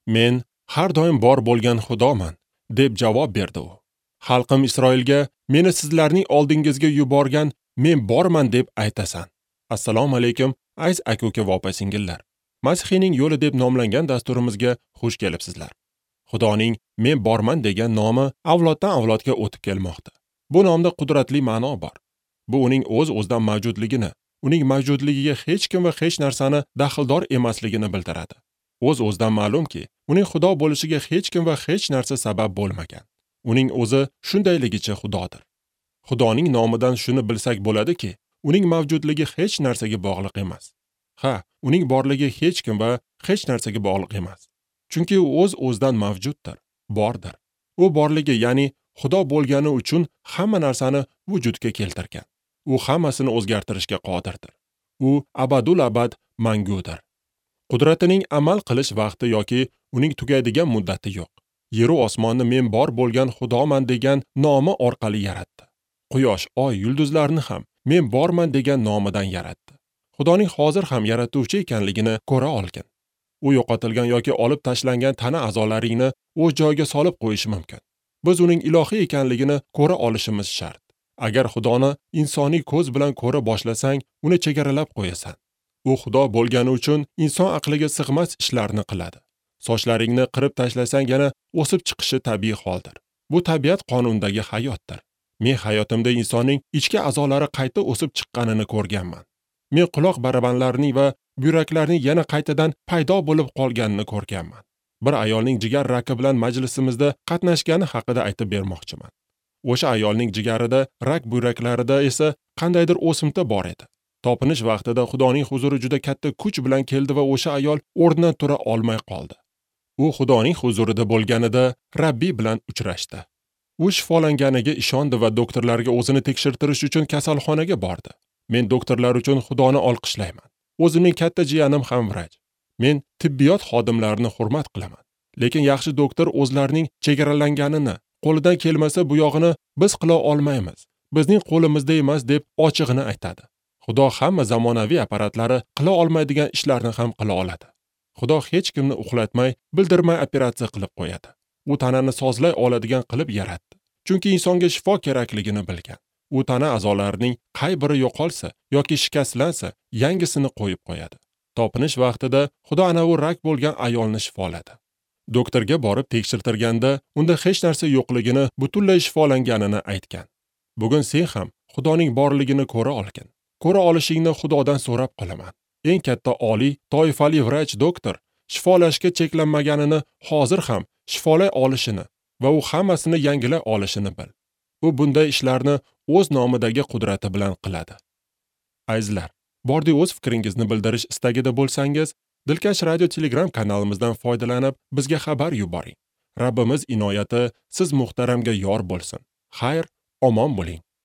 Men har doim bor bo'lgan Xudoman, deb javob berdi u. Xalqim Isroilga meni sizlarning oldingizga yuborgan men borman deb aytasan. Assalomu alaykum, aziz aka-uka va opa-singillar. Masihiyning yo'li deb nomlangan dasturimizga xush kelibsizlar. Xudoning men borman degan nomi avloddan avlodga o'tib kelmoqda. Bu nomda qudratli ma'no bor. Bu uning o'z-o'zidan mavjudligini, uning mavjudligiga hech kim va hech narsani daxldor emasligini bildiradi. O'z-o'zidan ma'lumki, uning Xudo bo'lishiga hech kim va hech narsa sabab bo'lmagan. Uning o'zi shundayligicha Xudodir. Xudoning nomidan shuni bilsak bo'ladiki, uning mavjudligi hech narsaga bog'liq emas. Ha, uning borligi hech kim va hech narsaga bog'liq emas. Chunki u o'z-o'zidan mavjuddir, bordir. U borligi, ya'ni Xudo bo'lgani uchun hamma narsani vujudga keltirgan. U hammasini o'zgartirishga qodirdir. U abadul abad mangudir. Qudratining amal qilish vaqti yoki uning tugaydigan muddati yo'q. Yeru osmonni men bor bo'lgan Xudoman degan nomi orqali yaratdi. Quyosh, oy, yulduzlarni ham men borman degan nomidan yaratdi. Xudoning hozir ham yaratuvchi ekanligini ko'ra olgin. U yo'qotilgan yoki olib tashlangan tana a'zolaringni o'z joyiga solib qo'yishi mumkin. Biz uning ilohiy ekanligini ko'ra olishimiz shart. Agar Xudoni insoniy ko'z bilan ko'ra boshlasang, uni chegaralab qo'yasan. U Xudo bo'lgani uchun inson aqliga sig'mas ishlarni qiladi. Sochlaringni qirib tashlasang yana o'sib chiqishi tabiiy holdir. Bu tabiat qonunidagi hayotdir. Men hayotimda insonning ichki a'zolari qayta o'sib chiqqanini ko'rganman. Men quloq barabanlarining va buyraklarning yana qaytadan paydo bo'lib qolganini ko'rganman. Bir ayolning jigar raki bilan majlisimizda qatnashgani haqida aytib bermoqchiman. O'sha ayolning jigarida, rak buyraklarida esa qandaydir o'simta bor edi. Topinish vaqtida Xudoning huzuri juda katta kuch bilan keldi va o'sha ayol o'rnidan tura olmay qoldi. U Xudoning huzurida bo'lganida Rabbiy bilan uchrashdi. U shifolanganiga ishondi va doktorlarga o'zini tekshirtirish uchun kasalxonaga bordi. Men doktorlar uchun Xudoni olqishlayman. O'zimning katta jiyanim ham vrach. Men tibbiyot xodimlarini hurmat qilaman. Lekin yaxshi doktor o'zlarining chegaralanganini, qo'lidan kelmasa bu yog'ini biz qila olmaymiz. Bizning qo'limizda emas deb ochig'ini aytadi. Xudo hamma zamonaviy apparatlari qila olmaydigan ishlarni ham qila oladi. Xudo hech kimni uxlatmay, bildirmay operatsiya qilib qo'yadi. U tanani sozlay oladigan qilib yaratdi. Chunki insonga shifo kerakligini bilgan. U tana a'zolarining qay biri yo'qolsa yoki shikastlansa, yangisini qo'yib qo'yadi. Topinish vaqtida Xudo ana u rak bo'lgan ayolni shifoladi. Doktorga borib tekshirtirganda unda hech narsa yo'qligini, butunlay shifolanganini aytgan. Bugun sen ham Xudoning borligini ko'ra olgin. Ko'ra olishingni Xudodan so'rab qolaman. Eng katta oliy toifali vrach doktor shifolashga cheklanmaganini, hozir ham shifolay olishini va u hammasini yangilay olishini bil. U bunday ishlarni o'z nomidagi qudrati bilan qiladi. Azizlar, bordi o'z fikringizni bildirish istagida bo'lsangiz, Dilkash Radio Telegram kanalimizdan foydalanib bizga xabar yuboring. Rabbimiz inoyati siz muhtaramga yor bo'lsin. Xayr, omon bo'ling.